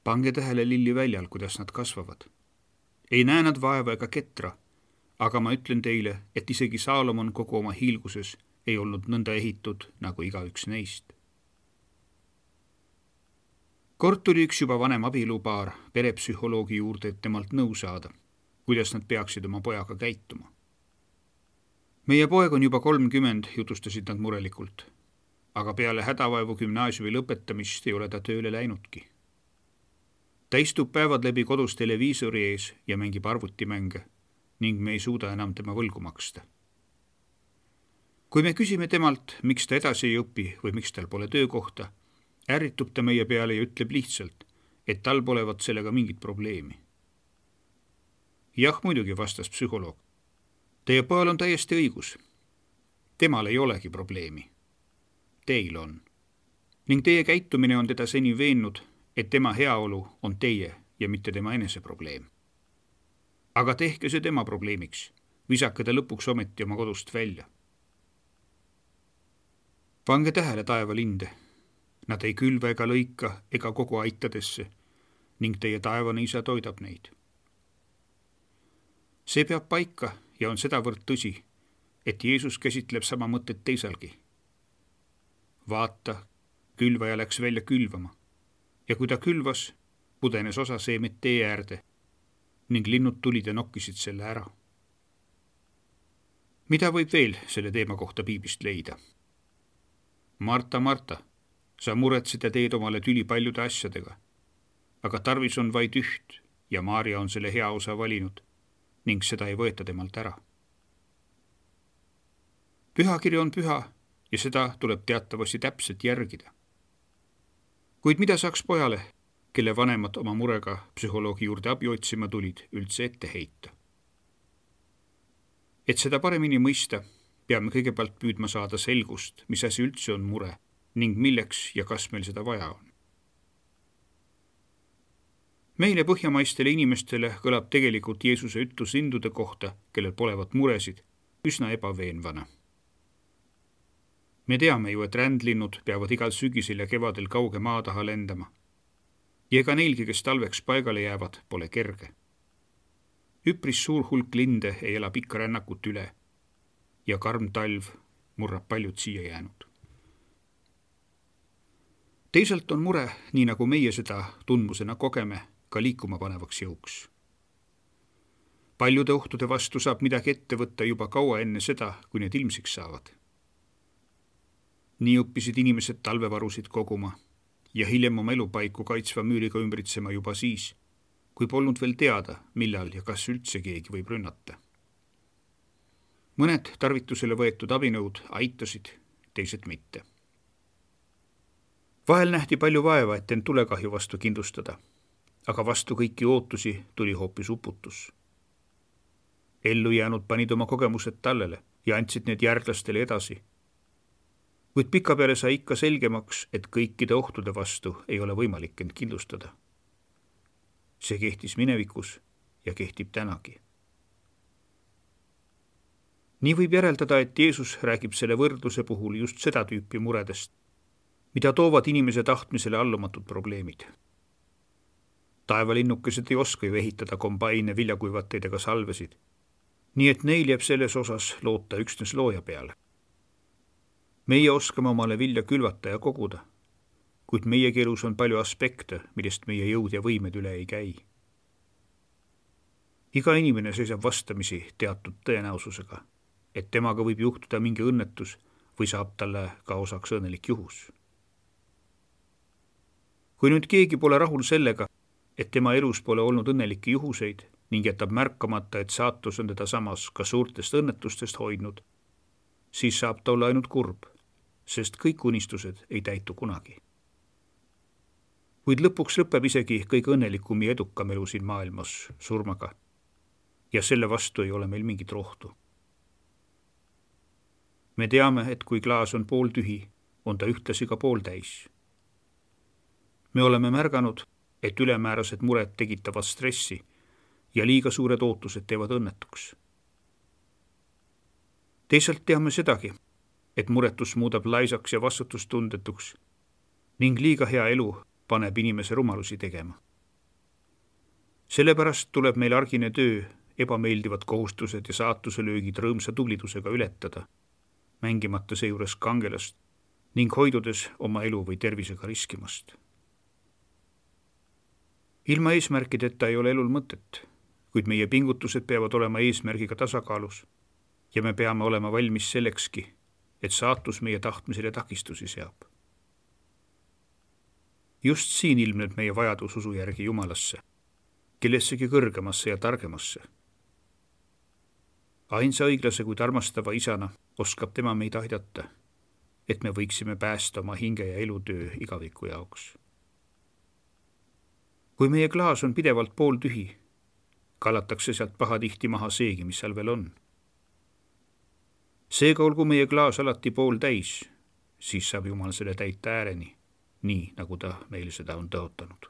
Pange tähele lilliväljal, kuidas nad kasvavad. Ei näe nad vaeva ega ketra, aga ma ütlen teile, et isegi Saalomon kogu oma hiilguses ei olnud nõnda ehitud nagu igaüks neist. Kord tuli üks juba vanem abielupaar perepsühholoogi juurde, et temalt nõu saada, kuidas nad peaksid oma pojaga käituma. Meie poeg on juba 30, jutustasid nad murelikult, aga peale hädavaevu gümnaasiumi lõpetamist ei ole ta tööle läinudki. Ta istub päevad läbi kodus televiisori ees ja mängib arvutimänge ning me ei suuda enam tema võlgu maksta. Kui me küsime temalt, miks ta edasi ei õpi või miks tal pole töökohta, ärritub ta meie peale ja ütleb lihtsalt, et tal polevat sellega mingit probleemi. Jah, muidugi, vastas psühholoog. Teie pojal on täiesti õigus. Temal ei olegi probleemi. Teil on. Ning teie käitumine on teda seni veennud, et tema heaolu on teie ja mitte tema enese probleem. Aga tehke see tema probleemiks. Visake ta lõpuks ometi oma kodust välja. Pange tähele taevalinde. Nad ei külva ega lõika ega kogu aitadesse ning teie taevane isa toidab neid. See peab paika ja on sedavõrd tõsi, et Jeesus käsitleb sama mõtet teisalgi. Vaata, külvaja läks välja külvama ja kui ta külvas, pudenes osa seemet tee äärde ning linnud tulid ja nokkisid selle ära. Mida võib veel selle teema kohta piiblist leida? Marta, Marta, sa muretsid ja teed omale tüli paljude asjadega, aga tarvis on vaid üht ja Maarja on selle hea osa valinud ning seda ei võeta temalt ära. Pühakiri on püha ja seda tuleb teatavasti täpselt järgida. Kuid mida saaks pojale, kelle vanemad oma murega psühholoogi juurde abi otsima tulid, üldse ette heita? Et seda paremini mõista, peame kõigepealt püüdma saada selgust, mis asi üldse on mure ning milleks ja kas meil seda vaja on. Meile põhjamaistele inimestele kõlab tegelikult Jeesuse ütlus lindude kohta, kellel polevat muresid, üsna ebaveenvana. Me teame ju, et rändlinnud peavad igal sügisel ja kevadel kauge maa taha lendama. Ja ega neilgi, kes talveks paigale jäävad, pole kerge. Üpris suur hulk linde ei ela pikka rännakut üle ja karm talv murrab paljud siia jäänud. Teisalt on mure, nii nagu meie seda tundmusena kogeme, ka liikuma panevaks jõuks. Paljude ohtude vastu saab midagi ette võtta juba kaua enne seda, kui need ilmsiks saavad. Nii õppisid inimesed talvevarusid koguma ja hiljem oma elupaiku kaitsva müüriga ümbritsema juba siis, kui polnud veel teada, millal ja kas üldse keegi võib rünnata. Mõned tarvitusele võetud abinõud aitasid, teised mitte. Vahel nähti palju vaeva, et end tulekahju vastu kindlustada, aga vastu kõiki ootusi tuli hoopis uputus. Ellu jäänud panid oma kogemused tallele ja andsid need järglastele edasi. Kuid pikapeale sai ikka selgemaks, et kõikide ohtude vastu ei ole võimalik end kindlustada. See kehtis minevikus ja kehtib tänagi. Nii võib järeldada, et Jeesus räägib selle võrdluse puhul just seda tüüpi muredest, mida toovad inimese tahtmisele allumatud probleemid. Taevalinnukesed ei oska ju ehitada kombaine, viljakuivateid ega salvesid, nii et neil jääb selles osas loota üksnes looja peale. Meie oskame omale vilja külvata ja koguda, kuid meie elus on palju aspekte, millest meie jõud ja võimed üle ei käi. Iga inimene seisab vastamisi teatud tõenäosusega, et temaga võib juhtuda mingi õnnetus või saab talle ka osaks õnnelik juhus. Kui nüüd keegi pole rahul sellega, et tema elus pole olnud õnnelikke juhuseid ning jätab märkamata, et saatus on teda samas ka suurtest õnnetustest hoidnud, siis saab ta olla ainult kurb, sest kõik unistused ei täitu kunagi. Kuid lõpuks lõpeb isegi kõige õnnelikum ja edukam elu siin maailmas surmaga ja selle vastu ei ole meil mingit rohtu. Me teame, et kui klaas on pooltühi, on ta ühtlasi ka pooltäis. Me oleme märganud, et ülemäärased mured tekitavad stressi ja liiga suured ootused teevad õnnetuks. Teisalt teame sedagi, et muretus muudab laisaks ja vastutustundetuks ning liiga hea elu paneb inimese rumalusi tegema. Sellepärast tuleb meil argine töö, ebameeldivad kohustused ja saatuse löögid rõõmsa tublidusega ületada, mängimata seejuures kangelast ning hoidudes oma elu või tervisega riskimast. Ilma eesmärkideta ei ole elul mõtet, kuid meie pingutused peavad olema eesmärgiga tasakaalus ja me peame olema valmis sellekski, et saatus meie tahtmisele takistusi seab. Just siin ilmneb meie vajadus usu järgi Jumalasse, kellessegi kõrgemasse ja targemasse. Ainsa õiglase kuid armastava isana oskab tema meid aidata, et me võiksime päästa oma hinge ja elutöö igaviku jaoks. Kui meie klaas on pidevalt pooltühi, kallatakse sealt pahatihti maha seegi, mis seal veel on. Seega olgu meie klaas alati pooltäis, siis saab Jumal selle täita ääreni, nii nagu ta meil seda on tõotanud.